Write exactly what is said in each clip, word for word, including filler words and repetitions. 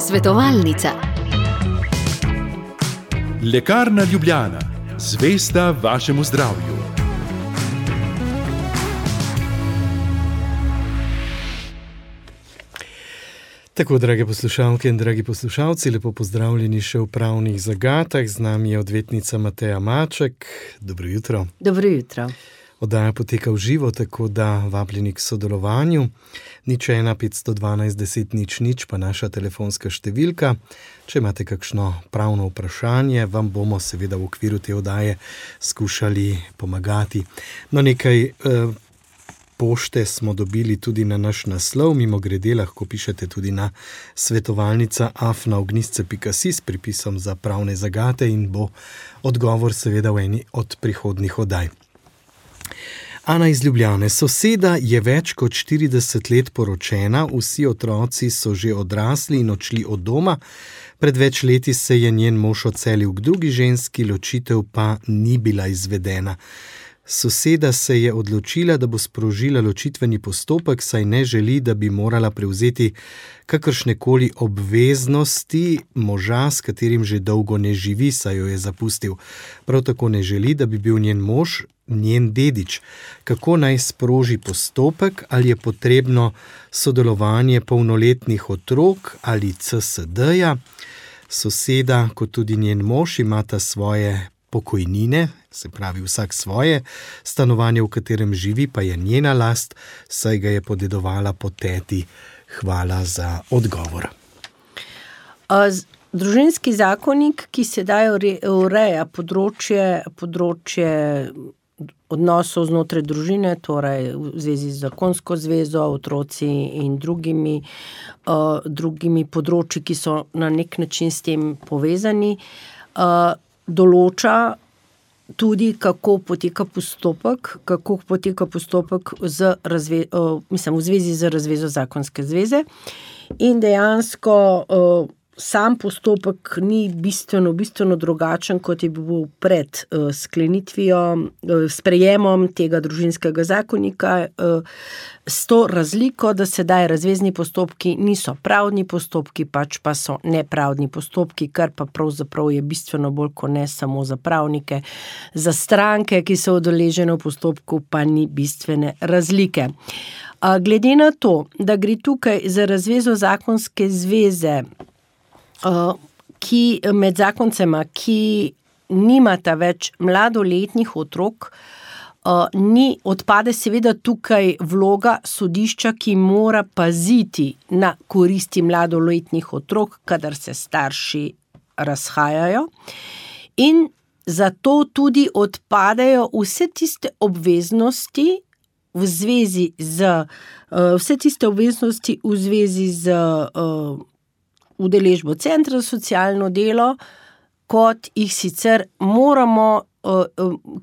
Svetovalnica. Lekarna Ljubljana, zvesta vašemu zdravju. Tako, drage poslušalke in dragi poslušalci, lepo pozdravljeni še v Pravnih zagatah. Z nami je odvetnica Mateja Maček. Dobro jutro. Dobro jutro. Oddaja poteka v živo, tako da vabljeni k sodelovanju. Nič ena petsto dvanajst deset nič nič pa naša telefonska številka. Če imate kakšno pravno vprašanje, vam bomo seveda v okviru te oddaje skušali pomagati. No, nekaj eh, pošte smo dobili tudi na naš naslov, mimogrede lahko pišete tudi na svetovalnica afna ognjišče pika si s pripisom za pravne zagate in bo odgovor seveda v eni od prihodnjih oddaj. Ana iz Ljubljane. Soseda je več kot štirideset let poročena, vsi otroci so že odrasli in odšli od doma. Pred več leti se je njen mož odselil k drugi ženski, ločitev pa ni bila izvedena. Soseda se je odločila, da bo sprožila ločitveni postopek, saj ne želi, da bi morala prevzeti kakršnekoli obveznosti moža, s katerim že dolgo ne živi, saj jo je zapustil. Prav tako ne želi, da bi bil njen mož njen dedič. Kako naj sproži postopek, ali je potrebno sodelovanje polnoletnih otrok ali C S D-ja? Soseda, kot tudi njen mož, imata svoje pokojnine, se pravi vsak svoje, stanovanje, v katerem živi, pa je njena last, saj ga je podedovala po teti. Hvala za odgovor. Družinski zakonik, ki sedaj ureja področje, področje odnosov znotraj družine, torej v zvezi z zakonsko zvezo, otroci in drugimi, uh, drugimi področji, ki so na nek način s tem povezani, uh, določa tudi, kako poteka postopek, kako poteka postopek z razve, uh, mislim, v zvezi z razvezo zakonske zveze. In dejansko uh, sam postopek ni bistveno, bistveno drugačen, kot je bil pred uh, sklenitvijo, uh, sprejemom tega družinskega zakonika, uh, s to razliko, da sedaj razvezni postopki niso pravdni postopki, pač pa so nepravdni postopki, kar pa pravzaprav je bistveno bolj kot ne samo za pravnike. Za stranke, ki so udeležene v postopku, pa ni bistvene razlike. Uh, glede na to, da gre tukaj za razvezo zakonske zveze, Uh, ki med zakoncema, ki nimata več mladoletnih otrok, uh, ni, odpade seveda tukaj vloga sodišča, ki mora paziti na koristi mladoletnih otrok, kadar se starši razhajajo, in zato tudi odpadejo vse tiste obveznosti v zvezi z, uh, vse tiste obveznosti v zvezi z uh, udeležbo centra za socialno delo, kot jih sicer moramo,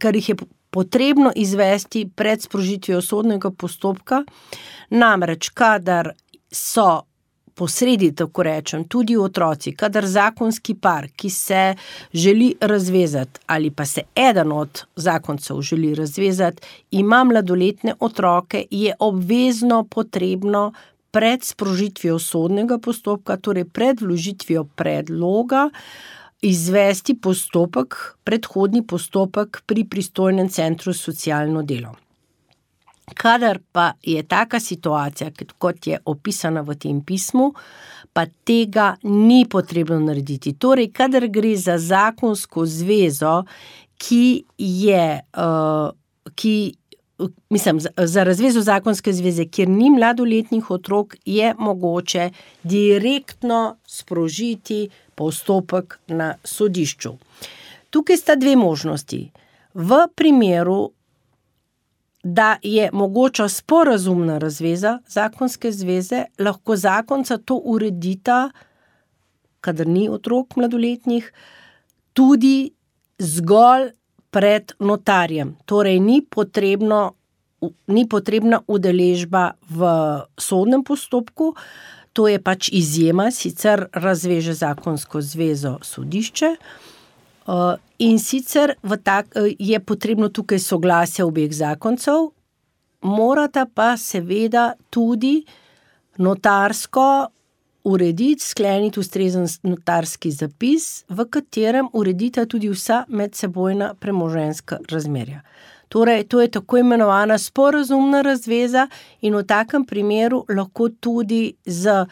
kar jih je potrebno izvesti pred sprožitvijo sodnega postopka. Namreč, kadar so posredi, tako rečem, tudi otroci, kadar zakonski par, ki se želi razvezati, ali pa se eden od zakoncev želi razvezati, ima mladoletne otroke, je obvezno potrebno pred sprožitvijo sodnega postopka, torej pred vložitvijo predloga, izvesti postopek, predhodni postopek pri pristojnem centru za socialno delo. Kadar pa je taka situacija, kot je opisana v tem pismu, pa tega ni potrebno narediti. Torej, kadar gre za zakonsko zvezo, ki je, uh, ki Mislim, za razvezo zakonske zveze, kjer ni mladoletnih otrok, je mogoče direktno sprožiti postopek na sodišču. Tukaj sta dve možnosti. V primeru, da je mogoča sporazumna razveza zakonske zveze, lahko zakonca to uredita, kadar ni otrok mladoletnih, tudi zgolj pred notarjem. Torej, ni potrebno, ni potrebna udeležba v sodnem postopku, to je pač izjema, sicer razveže zakonsko zvezo sodišče, in sicer v tak, je potrebno tukaj soglasje obeh zakoncev, morata pa seveda tudi notarsko urediti, skleniti ustrezen notarski zapis, v katerem uredita tudi vsa medsebojna premoženjska razmerja. Torej, to je tako imenovana sporazumna razveza in v takem primeru lahko tudi z,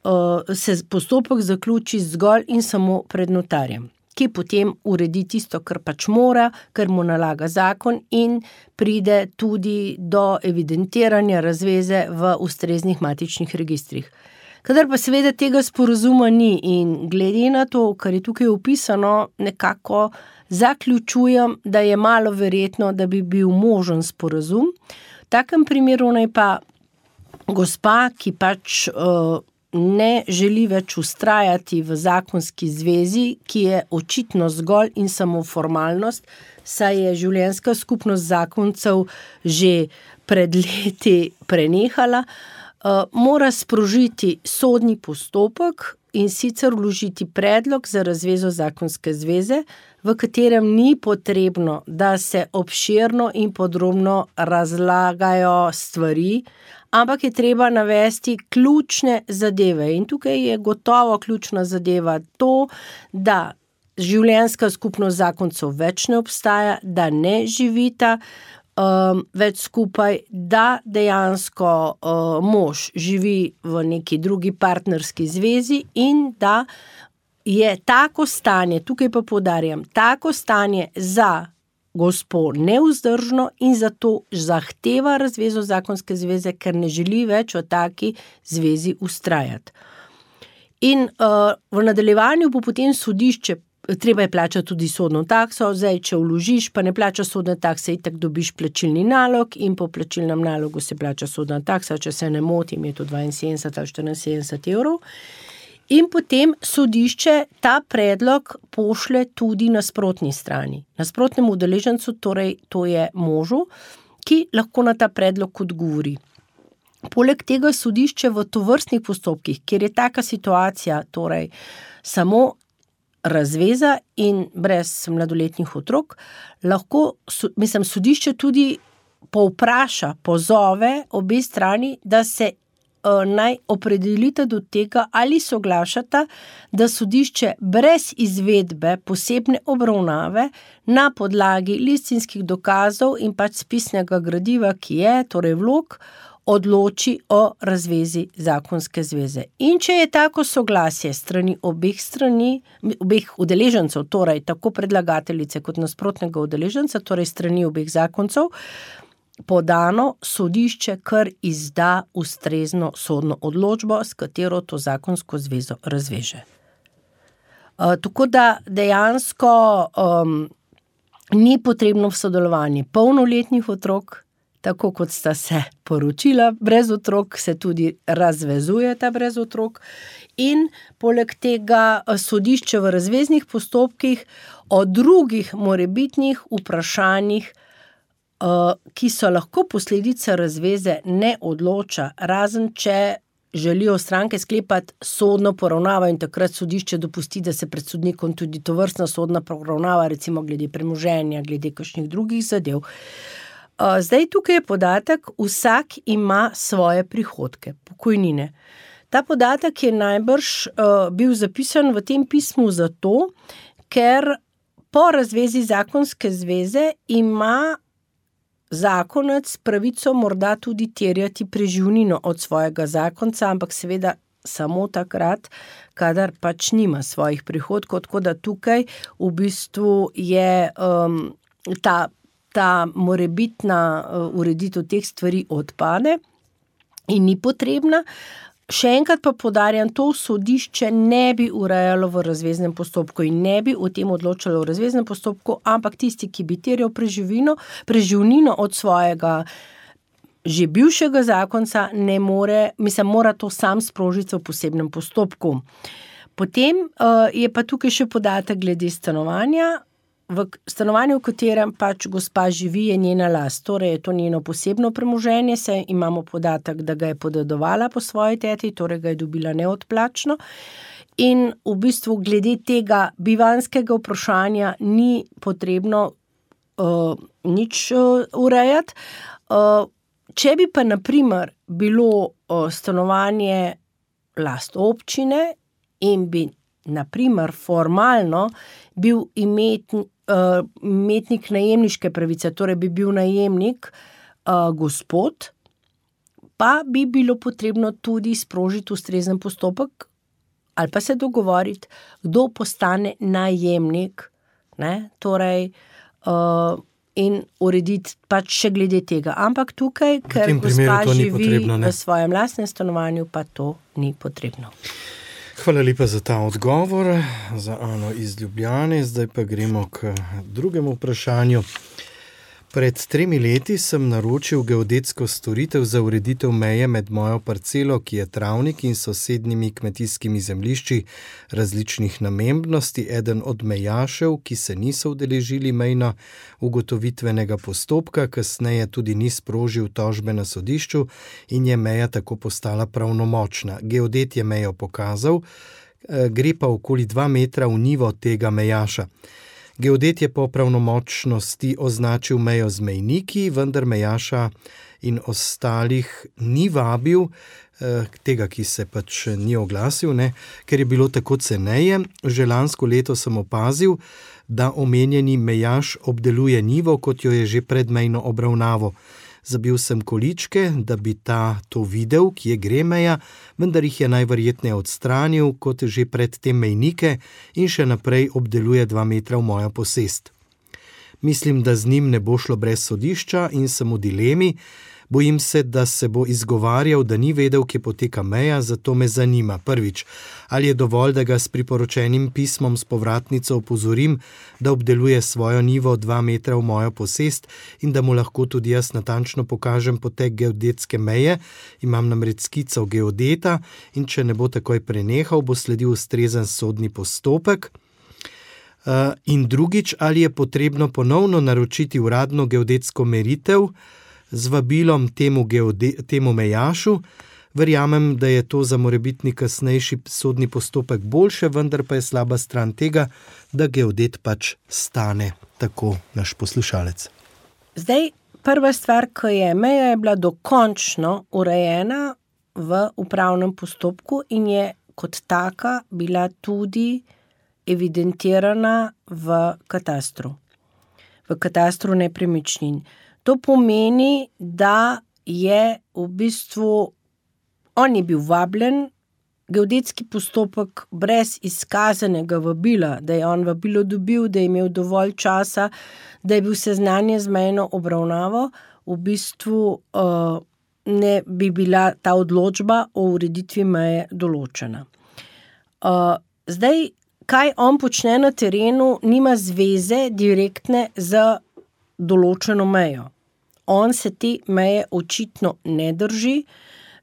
uh, se postopek zaključi zgolj in samo pred notarjem, ki potem uredi tisto, kar pač mora, kar mu nalaga zakon in pride tudi do evidentiranja razveze v ustreznih matičnih registrih. Kadar pa seveda tega sporazuma ni in glede na to, kar je tukaj opisano, nekako zaključujem, da je malo verjetno, da bi bil možen sporazum. V takem primeru naj pa gospa, ki pač uh, ne želi več vztrajati v zakonski zvezi, ki je očitno zgolj in samo formalnost, saj je življenjska skupnost zakoncev že pred leti prenehala, uh, mora sprožiti sodni postopek in sicer vložiti predlog za razvezo zakonske zveze, v katerem ni potrebno, da se obširno in podrobno razlagajo stvari, ampak je treba navesti ključne zadeve. In tukaj je gotovo ključna zadeva to, da življenjska skupnost zakoncev več ne obstaja, da ne živita um, več skupaj, da dejansko uh, mož živi v neki drugi partnerski zvezi in da je tako stanje, tukaj pa poudarjam, tako stanje za gospo nevzdržno in zato zahteva razvezo zakonske zveze, ker ne želi več v taki zvezi vztrajati. In uh, v nadaljevanju bo potem sodišče, treba je plačati tudi sodno takso, zdaj, če vložiš, pa ne plača sodne takse, itak dobiš plačilni nalog in po plačilnem nalogu se plača sodna taksa, če se ne motim, je to dvainsedemdeset ali štiriinsedemdeset evrov. In potem sodišče ta predlog pošlje tudi nasprotni strani. Nasprotnemu udeležencu, torej to je možu, ki lahko na ta predlog odgovori. Poleg tega sodišče v tovrstnih postopkih, kjer je taka situacija, torej samo razveza in brez mladoletnih otrok, lahko, mislim, sodišče tudi povpraša, pozove obe strani, da se naj opredelite do tega, ali soglašata, da sodišče brez izvedbe posebne obravnave na podlagi listinskih dokazov in pač spisnega gradiva, ki je, torej vlog, odloči o razvezi zakonske zveze. In če je tako soglasje strani obeh strani, obeh udeležencev, torej tako predlagateljice kot nasprotnega udeleženca, torej strani obeh zakoncev, podano, sodišče kar izda ustrezno sodno odločbo, s katero to zakonsko zvezo razveže. Uh, tako da dejansko um, ni potrebno v sodelovanje polnoletnih otrok, tako kot sta se poročila brez otrok, se tudi razvezujeta brez otrok in poleg tega sodišče v razveznih postopkih o drugih morebitnih vprašanjih, ki so lahko posledica razveze, ne odloča, razen če želijo stranke sklepati sodno poravnavo in takrat sodišče dopusti, da se pred sodnikom tudi tovrstna sodna poravnava, recimo glede premoženja, glede kakšnih drugih zadev. Zdaj tukaj je podatek, vsak ima svoje prihodke, pokojnine. Ta podatek je najbrž bil zapisan v tem pismu zato, ker po razvezi zakonske zveze ima zakonec pravico morda tudi terjati preživnino od svojega zakonca, ampak seveda samo takrat, kadar pač nima svojih prihodkov, tako da tukaj v bistvu je um, ta, ta morebitna uh, ureditev teh stvari odpade in ni potrebna. Še enkrat pa poudarjam, to sodišče ne bi urejalo v razveznem postopku in ne bi o tem odločalo v razveznem postopku, ampak tisti, ki bi terjal preživnino, preživnino od svojega že bivšega zakonca, ne more, mislim, mora to sam sprožiti v posebnem postopku. Potem uh, je pa tukaj še podatek glede stanovanja. V stanovanju, v katerem pač gospa živi, je njena last, torej je to njeno posebno premoženje, saj imamo podatek, da ga je podedovala po svoji teti, torej ga je dobila neodplačno. In v bistvu glede tega bivanjskega vprašanja ni potrebno uh, nič uh, urejati. Uh, če bi pa naprimer bilo uh, stanovanje last občine in bi naprimer formalno bil imetn, uh, imetnik najemniške pravice, torej bi bil najemnik uh, gospod, pa bi bilo potrebno tudi sprožiti ustrezen postopek ali pa se dogovoriti, kdo postane najemnik, ne, torej uh, in urediti pač še glede tega. Ampak tukaj, ker gospa živi v svojem lastnem stanovanju, pa to ni potrebno. Hvala lepa za ta odgovor, za Ano iz Ljubljane. Zdaj pa gremo k drugemu vprašanju. Pred tremi leti sem naročil geodetsko storitev za ureditev meje med mojo parcelo, ki je travnik, in sosednjimi kmetijskimi zemljišči različnih namembnosti. Eden od mejašev, ki se niso udeležili mejno ugotovitvenega postopka, kasneje tudi ni sprožil tožbe na sodišču in je meja tako postala pravnomočna. Geodet je mejo pokazal, gre pa okoli dva metra v nivo tega mejaša. Geodet je po pravnomočnosti označil mejo z mejniki, vendar mejaša in ostalih ni vabil, tega, ki se pač ni oglasil, ne, ker je bilo tako ceneje. Že lansko leto sem opazil, da omenjeni mejaš obdeluje njivo, kot jo je že pred mejno obravnavo. Zabil sem količke, da bi ta to videl, kje gre meja, vendar jih je najverjetneje odstranil, kot že pred tem mejnike, in še naprej obdeluje dva metra v mojo posest. Mislim, da z njim ne bo šlo brez sodišča in sem v dilemi. Bojim se, da se bo izgovarjal, da ni vedel, kje poteka meja, zato me zanima. Prvič, ali je dovolj, da ga s priporočenim pismom s povratnico opozorim, da obdeluje svojo njivo dva metra v mojo posest in da mu lahko tudi jaz natančno pokažem potek geodetske meje. Imam namreč skico geodeta in če ne bo takoj prenehal, bo sledil ustrezen sodni postopek. Uh, in drugič, ali je potrebno ponovno naročiti uradno geodetsko meritev z vabilom temu, geode, temu mejašu. Verjamem, da je to za morebitni kasnejši sodni postopek boljše, vendar pa je slaba stran tega, da geodet pač stane, tako naš poslušalec. Zdaj, prva stvar, ko je meja, je bila dokončno urejena v upravnem postopku in je kot taka bila tudi evidentirana v katastru, v katastru nepremičnin. To pomeni, da je v bistvu, on je bil vabljen, geodetski postopek brez izkazanega vabila, da je on vabilo dobil, da je imel dovolj časa, da je bil seznanjen z mejno obravnavo, v bistvu uh, ne bi bila ta odločba o ureditvi meje določena. Uh, zdaj, kaj on počne na terenu, nima zveze direktne z določeno mejo. On se te meje očitno ne drži.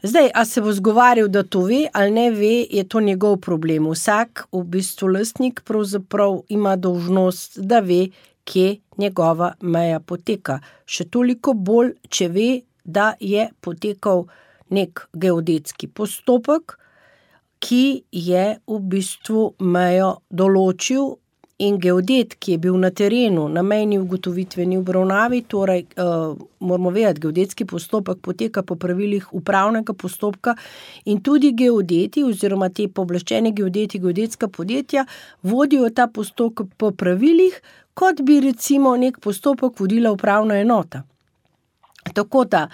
Zdaj, a se bo zgovarjal, da to ve ali ne ve, je to njegov problem. Vsak, v bistvu lastnik, pravzaprav ima dolžnost, da ve, kje njegova meja poteka. Še toliko bolj, če ve, da je potekal nek geodetski postopek, ki je v bistvu mejo določil. In geodet, ki je bil na terenu, na mejni ugotovitveni obravnavi, torej uh, moramo vedeti, geodetski postopek poteka po pravilih upravnega postopka in tudi geodeti oziroma te pooblaščeni geodeti, geodetska podjetja vodijo ta postopek po pravilih, kot bi recimo nek postopek vodila upravna enota. Tako da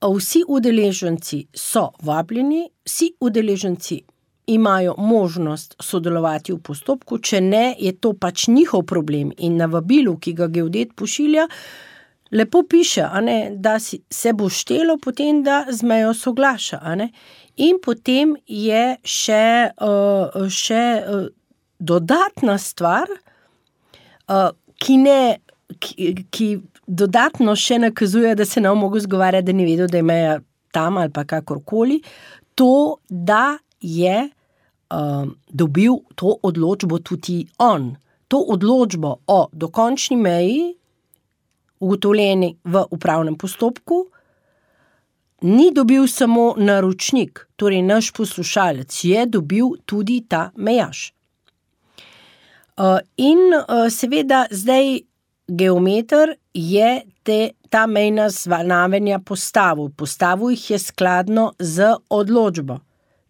vsi udeleženci so vabljeni, vsi udeleženci imajo možnost sodelovati v postopku, če ne, je to pač njihov problem in na vabilu, ki ga geodet pošilja, lepo piše, a ne, da si, se bo štelo potem, da z mejo soglaša, a ne. In potem je še, uh, še uh, dodatna stvar, uh, ki ne, ki, ki dodatno še nakazuje, da se ne bo mogel zgovarjati, da ni vedel, da je meja tam ali pa kakorkoli, to, da je uh, dobil to odločbo tudi on. To odločbo o dokončni meji, ugotovljeni v upravnem postopku, ni dobil samo naročnik, torej naš poslušalec, je dobil tudi ta mejaš. Uh, in uh, seveda zdaj geometer je te, ta mejna znamenja postavil. Postavil jih je skladno z odločbo.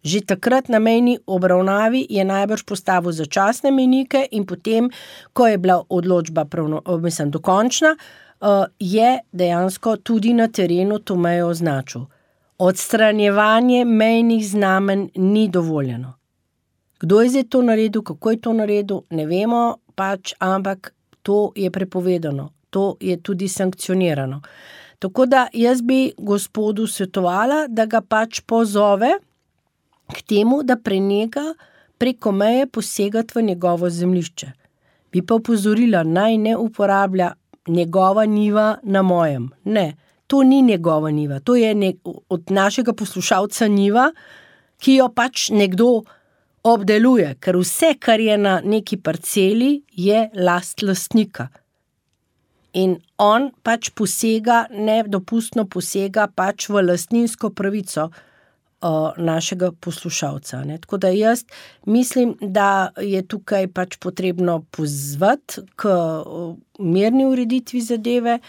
Že takrat na mejni obravnavi je najbrž postavil začasne mejnike in potem, ko je bila odločba pravno, mislim, dokončna, je dejansko tudi na terenu to mejo označil. Odstranjevanje mejnih znamen ni dovoljeno. Kdo je zdaj to naredil, kako je to naredil, ne vemo, pač, ampak to je prepovedano. To je tudi sankcionirano. Tako da jaz bi gospodu svetovala, da ga pač pozove k temu, da preneha preko meje posegati v njegovo zemljišče. Bi pa opozorila, naj ne uporablja njegova njiva na mojem. Ne, to ni njegova njiva. To je nek, od našega poslušalca njiva, ki jo pač nekdo obdeluje, ker vse, kar je na neki parceli, je last lastnika. In on pač posega, nedopustno posega pač v lastninsko pravico našega poslušalca. Ne. Tako da jaz mislim, da je tukaj pač potrebno pozvati k mirni ureditvi zadeve,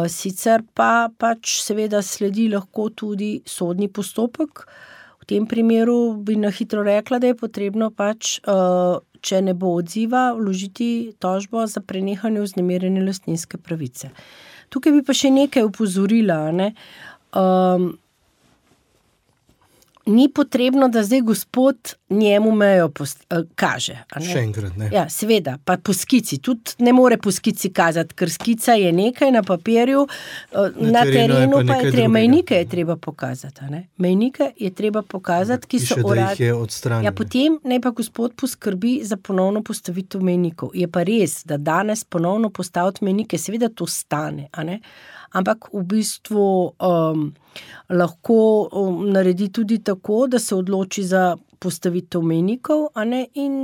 sicer pa pač seveda sledi lahko tudi sodni postopek. V tem primeru bi na hitro rekla, da je potrebno pač, če ne bo odziva, vložiti tožbo za prenehanje vznemirjene lastninske pravice. Tukaj bi pa še nekaj opozorila, ne. Um, Ni potrebno, da zdaj gospod njemu mejo post, kaže. A ne? Še enkrat, ne. Ja, seveda, pa po skici. Tudi ne more po skici kazati, ker skica je nekaj na papirju, na, na terenu, terenu pa, pa je treba, mejnike je treba pokazati. A ne? Mejnike je treba pokazati, ki so urad... Ja, potem naj pa gospod poskrbi za ponovno postavitev mejnikov. Je pa res, da danes ponovno postaviti mejnike, seveda to stane, a ne? Ampak v bistvu um, lahko um, naredi tudi tako, da se odloči za postavitev mejnikov, a ne, in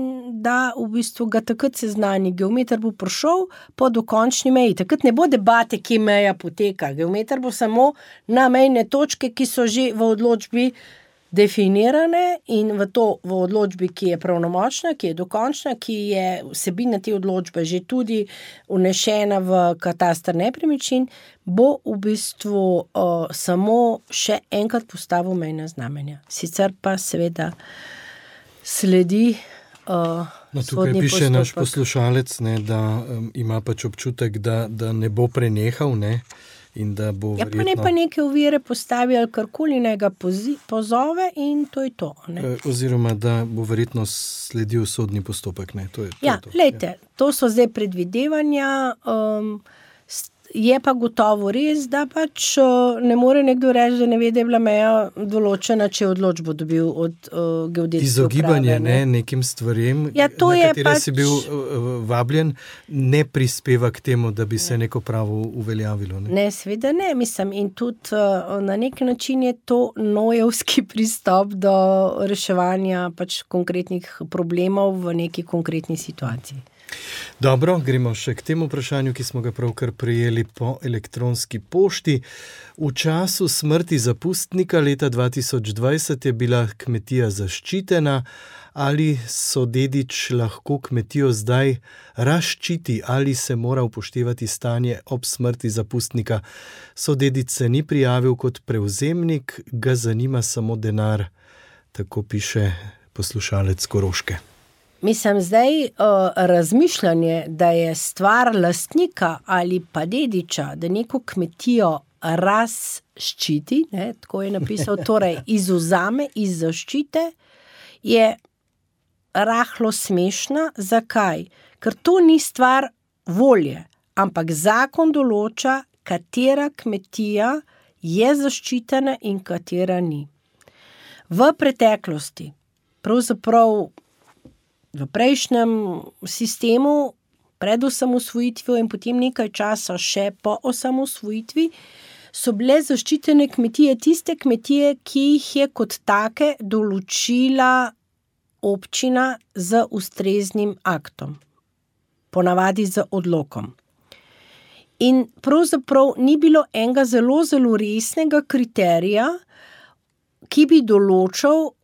da v bistvu ga takrat seznani. Geometer bo prišel po dokončni meji. Takrat ne bo debate, kje meja poteka. Geometer bo samo na mejne točke, ki so že v odločbi definirane in v to v odločbi, ki je pravnomočna, ki je dokončna, ki je vsebina te odločbe že tudi vnešena v kataster nepremičnin, bo v bistvu uh, samo še enkrat postavil mejna znamenja. Sicer pa seveda sledi uh, no, tukaj piše postopek. Naš poslušalec, ne, da um, ima pač občutek, da, da ne bo prenehal, ne, in da bo ja, verjetno... pa ne pa neke ovire postavi ali karkoli, naj ga pozi, pozove in to je to. Ne? Oziroma, da bo verjetno sledil sodni postopek. Ne? To je, to ja, je to. Lejte, to so zdaj predvidevanja, um, je pa gotovo res, da pač ne more nekdo reči, da ne ve, da je bila meja določena, če je odločbo dobil od uh, geodetske Izogibanje uprave, ne? ne, nekim stvarem, ja, to na katere pač... si bil uh, vabljen, ne prispeva k temu, da bi se neko pravo uveljavilo. Ne, ne seveda ne, mislim, in tudi uh, na nek način je to nojevski pristop do reševanja pač konkretnih problemov v neki konkretni situaciji. Dobro, gremo še k temu vprašanju, ki smo ga pravkar prejeli po elektronski pošti. V času smrti zapustnika leta dva tisoč dvajset je bila kmetija zaščitena. Ali sodedič lahko kmetijo zdaj razščiti, ali se mora upoštevati stanje ob smrti zapustnika? Sodedič se ni prijavil kot prevzemnik, ga zanima samo denar, tako piše poslušalec Koroške. Mislim, zdaj uh, razmišljanje, da je stvar lastnika ali pa dediča, da neko kmetijo razščiti, ne, tako je napisal, torej izvzame iz zaščite, je rahlo smešna. Zakaj? Ker to ni stvar volje, ampak zakon določa, katera kmetija je zaščitena in katera ni. V preteklosti, pravzaprav v prejšnjem sistemu, pred osamosvojitvijo in potem nekaj časa še po osamosvojitvi, so bile zaščitene kmetije tiste kmetije, ki jih je kot take določila občina z ustreznim aktom, ponavadi z odlokom. In pravzaprav ni bilo enega zelo, zelo resnega kriterija, ki bi določal,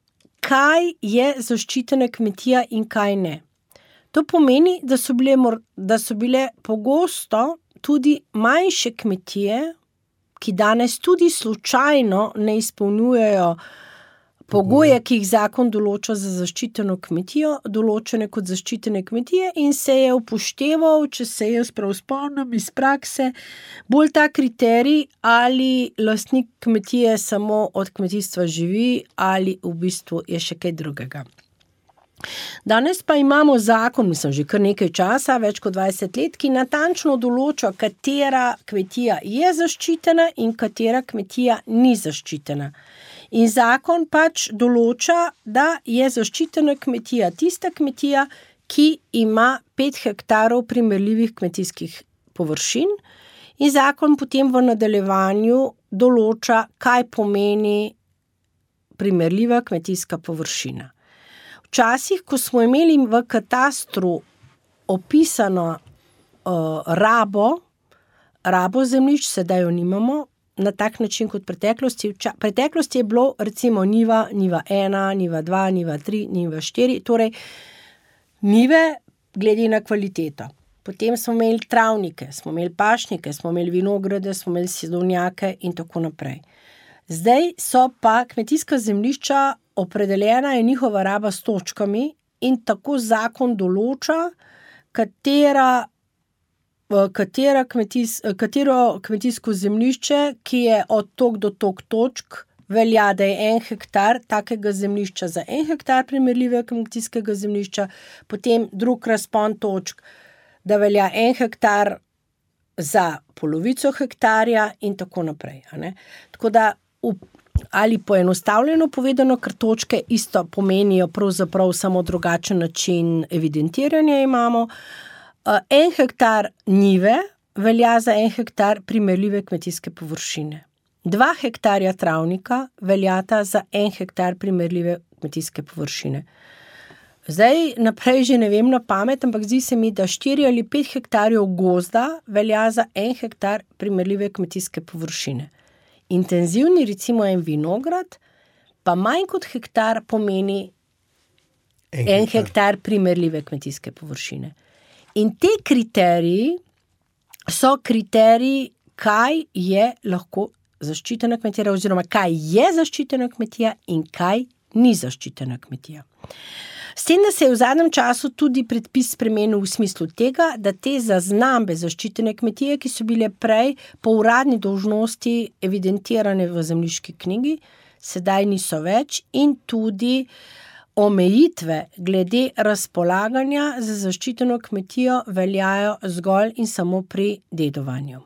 kaj je zaščitena kmetija in kaj ne. To pomeni, da so bile, da so bile pogosto tudi manjše kmetije, ki danes tudi slučajno ne izpolnjujejo pogoje, ki jih zakon določa za zaščiteno kmetijo, določene kot zaščitene kmetije in se je upošteval, če se jaz prav spomnim iz prakse, bolj ta kriterij, ali lastnik kmetije samo od kmetijstva živi ali v bistvu je še kaj drugega. Danes pa imamo zakon, mislim, že kar nekaj časa, več kot dvajset let, ki natančno določa, katera kmetija je zaščitena in katera kmetija ni zaščitena. In zakon pač določa, da je zaščitena kmetija tista kmetija, ki ima pet hektarov primerljivih kmetijskih površin in zakon potem v nadaljevanju določa, kaj pomeni primerljiva kmetijska površina. Včasih, ko smo imeli v katastru opisano uh, rabo, rabo zemljišč, sedaj jo nimamo, na tak način kot preteklosti. V preteklosti je bilo recimo njiva, njiva ena, njiva dva, njiva tri, njiva štiri, torej njive glede na kvaliteto. Potem smo imeli travnike, smo imeli pašnike, smo imeli vinograde, smo imeli sadovnjake in tako naprej. Zdaj so pa kmetijska zemljišča opredeljena je njihova raba s točkami in tako zakon določa, katera Katera kmetijs, katero kmetijsko zemljišče, ki je od tok do tok točk, velja, da je en hektar takega zemljišča za en hektar primerljivega kmetijskega zemljišča, potem drug razpon točk, da velja en hektar za polovico hektarja in tako naprej. A ne? Tako da, ali poenostavljeno povedano, ker točke isto pomenijo pravzaprav samo drugačen način evidentiranja imamo, en hektar njive velja za en hektar primerljive kmetijske površine. Dva hektarja travnika veljata za en hektar primerljive kmetijske površine. Zdaj naprej že ne vem na pamet, ampak zdi se mi, da štiri ali pet hektarjev gozda velja za en hektar primerljive kmetijske površine. Intenzivni, recimo en vinograd, pa manj kot hektar pomeni en, en hektar. hektar primerljive kmetijske površine. In te kriteriji so kriteriji, kaj je lahko zaščitena kmetija oziroma kaj je zaščitena kmetija in kaj ni zaščitena kmetija. S tem, da se je v zadnjem času tudi predpis spremenil v smislu tega, da te zaznambe zaščitene kmetije, ki so bile prej po uradni dolžnosti evidentirane v zemljiški knjigi, sedaj niso več in tudi omejitve glede razpolaganja za zaščiteno kmetijo veljajo zgolj in samo pri dedovanju.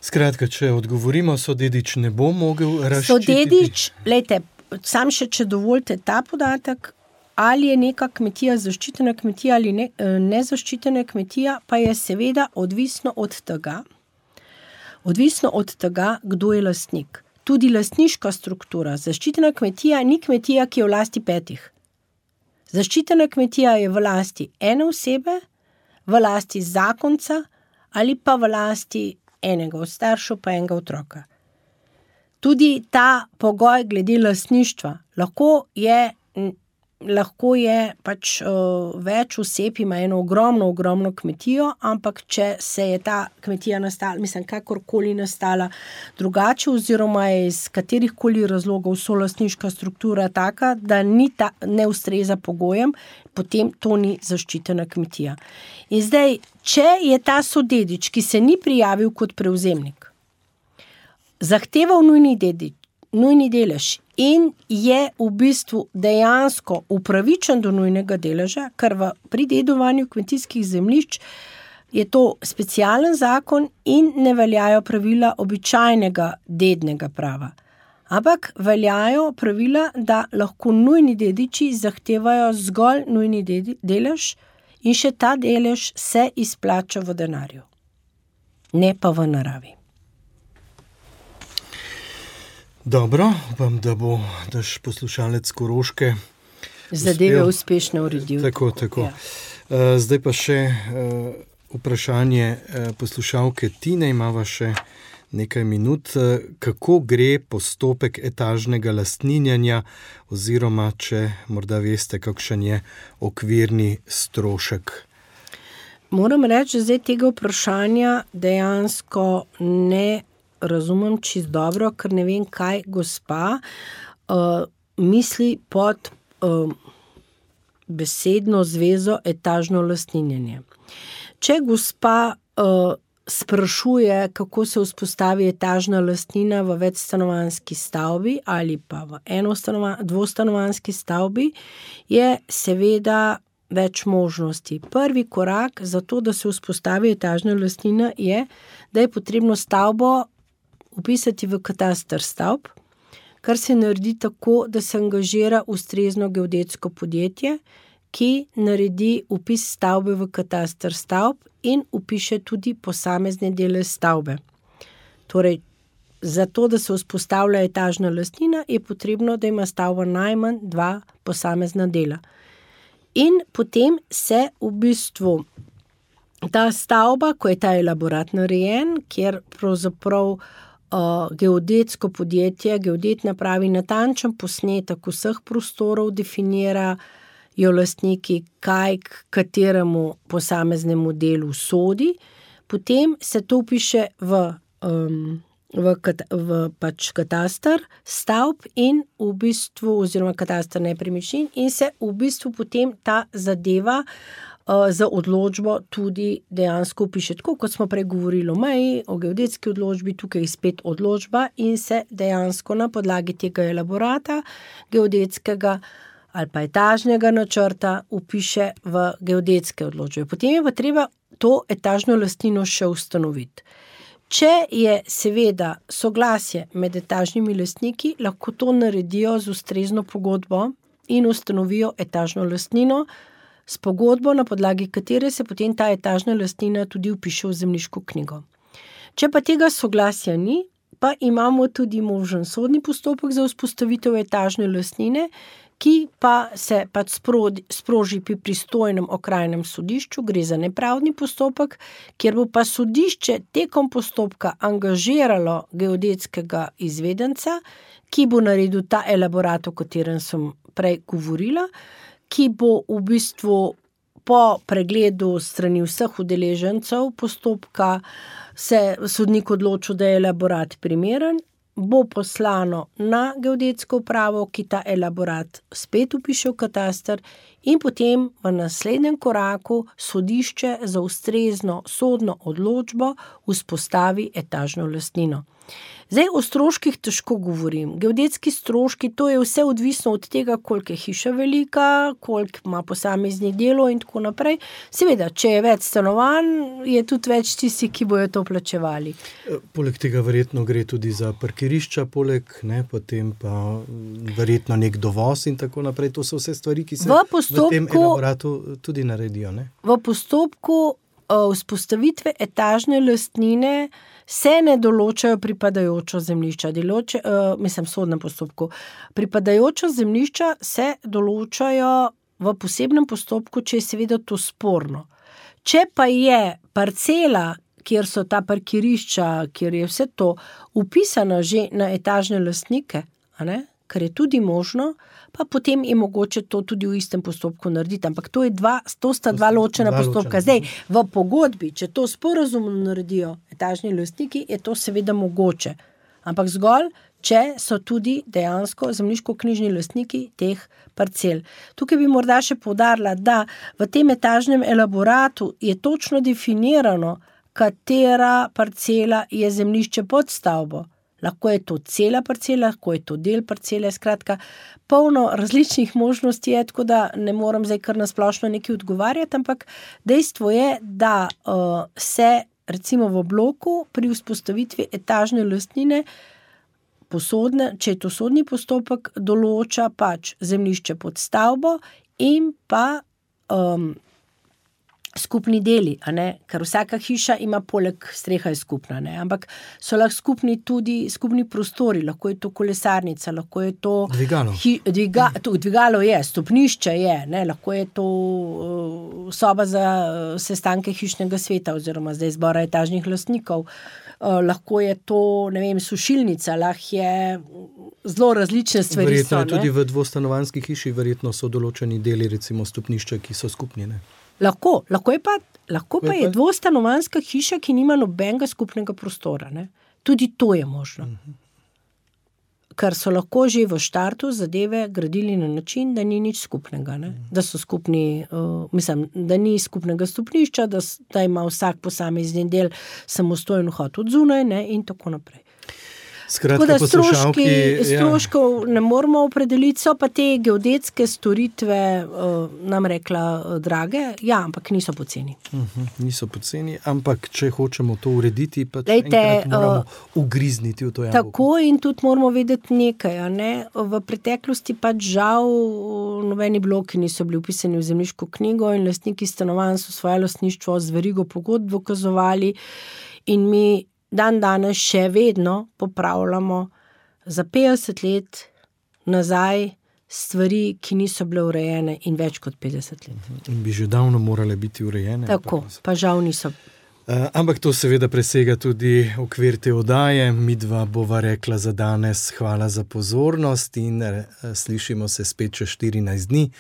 Skratka, če odgovorimo, sodedič ne bo mogel razščititi. Sodedič, lejte, sam še, če dovolite ta podatek, ali je neka kmetija zaščitena kmetija ali ne, nezaščitena kmetija, pa je seveda odvisno od tega, odvisno od tega, kdo je lastnik. Tudi lastniška struktura. Zaščitena kmetija ni kmetija, ki je v lasti petih. Zaščitena kmetija je v lasti ene osebe, v lasti zakonca ali pa v lasti enega od staršev pa enega otroka. Tudi ta pogoj glede lastništva lahko je, lahko je pač uh, več oseb ima eno ogromno, ogromno kmetijo, ampak če se je ta kmetija nastala, mislim, kakorkoli nastala drugače oziroma je iz katerihkoli razlogov solastniška struktura taka, da ni ta, ne ustreza pogojem, potem to ni zaščitena kmetija. In zdaj, če je ta sodedič, ki se ni prijavil kot prevzemnik, zahteval nujni dedič, nujni delež in je v bistvu dejansko upravičen do nujnega deleža, ker v, pri dedovanju kmetijskih zemljišč je to specialen zakon in ne veljajo pravila običajnega dednega prava. Ampak veljajo pravila, da lahko nujni dediči zahtevajo zgolj nujni delež in še ta delež se izplača v denarju, ne pa v naravi. Dobro, upam, da bo naš poslušalec Koroške zadeve uspešno uredil. Tako, tako. Ja. Zdaj pa še vprašanje poslušalke Tine, imava še nekaj minut. Kako gre postopek etažnega lastninjanja oziroma, če morda veste, kakšen je okvirni strošek? Moram reči, da zdaj tega vprašanja dejansko ne razumem čist dobro, ker ne vem, kaj gospa uh, misli pod uh, besedno zvezo etažno lastninjenje. Če gospa uh, sprašuje, kako se vzpostavi etažna lastnina v večstanovanjski stavbi ali pa v dvostanovanjski stavbi, je seveda več možnosti. Prvi korak za to, da se vzpostavi etažna lastnina, je, da je potrebno stavbo vpisati v kataster stavb, kar se naredi tako, da se angažira ustrezno geodetsko podjetje, ki naredi vpis stavbe v kataster stavb in vpiše tudi posamezne dele stavbe. Torej, za to, da se vzpostavlja etažna lastnina, je potrebno, da ima stavba najmanj dva posamezna dela. In potem se v bistvu ta stavba, ko je ta elaborat narejen, kjer pravzaprav uh, geodetsko podjetje, geodet napravi natančen posnetek vseh prostorov, definira jo lastniki, kaj k kateremu posameznemu delu sodi, potem se to vpiše v, um, v, kat, v pač kataster stavb in v bistvu, oziroma kataster nepremičnin, in se v bistvu potem ta zadeva uh, za odločbo tudi dejansko vpiše. Tako kot smo prej govorili o meji, o geodetski odločbi, tukaj je spet odločba in se dejansko na podlagi tega elaborata geodetskega ali pa etažnega načrta vpiše v geodetske odločbe. Potem je pa treba to etažno lastnino še ustanoviti. Če je seveda soglasje med etažnimi lastniki, lahko to naredijo z ustrezno pogodbo in ustanovijo etažno lastnino s pogodbo, na podlagi katere se potem ta etažna lastnina tudi vpiše v zemljiško knjigo. Če pa tega soglasja ni, pa imamo tudi možen sodni postopek za vzpostavitev etažne lastnine, ki pa se pač sproži pri pristojnem okrajnem sodišču, gre za nepravdni postopek, kjer bo pa sodišče tekom postopka angažiralo geodetskega izvedenca, ki bo naredil ta elaborat, o katerem sem prej govorila, ki bo v bistvu po pregledu strani vseh udeležencev postopka se sodnik odločil, da je elaborat primeren, bo poslano na geodetsko upravo, ki ta elaborat spet vpiše v kataster in potem v naslednjem koraku sodišče za ustrezno sodno odločbo vzpostavi etažno lastnino. Zdaj o stroških težko govorim. Geodetski stroški, to je vse odvisno od tega, koliko je hiša velika, koliko ima posameznih delov in tako naprej. Seveda, če je več stanovanj, je tudi več tisti, ki bojo to plačevali. Poleg tega verjetno gre tudi za parkirišča, poleg, ne, potem pa verjetno nek dovoz in tako naprej. To so vse stvari, ki se v, postopku, v tem elaboratu tudi naredijo, ne? V postopku uh, vzpostavitve etažne lastnine se ne določajo pripadajočo zemljišča. Deloče, uh, mislim, v sodnem postopku. Pripadajočo zemljišča se določajo v posebnem postopku, če je seveda to sporno. Če pa je parcela, kjer so ta parkirišča, kjer je vse to vpisano že na etažne lastnike, a ne? Kar je tudi možno, pa potem je mogoče to tudi v istem postopku narediti. Ampak to, je dva, to sta dva ločena dva postopka. Ločena. Zdaj, v pogodbi, če to sporazumno naredijo etažni lastniki, je to seveda mogoče. Ampak zgolj, če so tudi dejansko zemljiško-knjižni lastniki teh parcel. Tukaj bi morda še poudarila, da v tem etažnem elaboratu je točno definirano, katera parcela je zemljišče pod stavbo. Lahko je to cela parcela, lahko je to del parcele, skratka, polno različnih možnosti je, tako da ne moram zdaj kar na splošno nekaj odgovarjati, ampak dejstvo je, da uh, se recimo v bloku pri vzpostavitvi etažne lastnine, posodne, če je to sodni postopek, določa pač zemljišče pod stavbo in pa um, skupni deli, a ne? Ker vsaka hiša ima poleg streha je skupna, ne? Ampak so lahko skupni tudi skupni prostori, lahko je to kolesarnica, lahko je to dvigalo, hi, dviga, to, dvigalo je, stopnišče je, ne? Lahko je to uh, soba za uh, sestanke hišnega sveta oziroma zdaj zbora etažnih lastnikov, uh, lahko je to, ne vem, sušilnica, lahko je zelo različne stvari. Verjetno so, je tudi v dvostanovanjski hiši, verjetno so določeni deli, recimo stopnišča, ki so skupni, ne? Lahko, lahko je pa, lahko pa je dvostanovanjska hiša, ki nima nobenega skupnega prostora, ne? Tudi to je možno. Ker so lahko že v štartu zadeve gradili na način, da ni nič skupnega, ne? Da so skupni, uh, mislim, da ni skupnega stopnišča, da, da ima vsak posamezni del samostojen vhod od zunaj, ne? In tako naprej. Skratka, tako da stroški, ja. stroškov ne moramo opredeliti, so pa te geodetske storitve, uh, nam rekla, uh, drage, ja, ampak niso poceni. Uh-huh, niso poceni, ampak če hočemo to urediti, pa Lejte, enkrat moramo uh, ugrizniti v to jabolko. Tako in tudi moramo vedeti nekaj, a ne? V preteklosti pač žal nobeni bloki niso bili upisani v zemljiško knjigo in lastniki stanovanj so svoje lastništvo z verigo pogodb dokazovali in mi dan danes še vedno popravljamo za petdeset let nazaj stvari, ki niso bile urejene in več kot petdeset let. In bi že davno morale biti urejene. Tako, pa, pa žal niso. Uh, ampak to seveda presega tudi okvir te oddaje. Midva bova rekla za danes hvala za pozornost in uh, slišimo se spet čez štirinajst dni.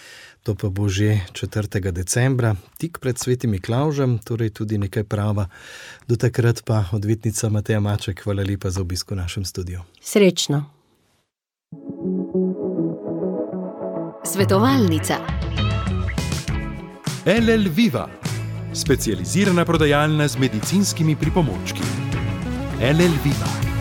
To pa bo že četrtega decembra, tik pred svetim Miklavžem, torej tudi nekaj prava. Do takrat pa odvetnica Mateja Maček, hvala lepa za obisk v našem studiu. Srečno. Svetovalnica. L L Viva, specializirana prodajalna z medicinskimi pripomočki. L L Viva.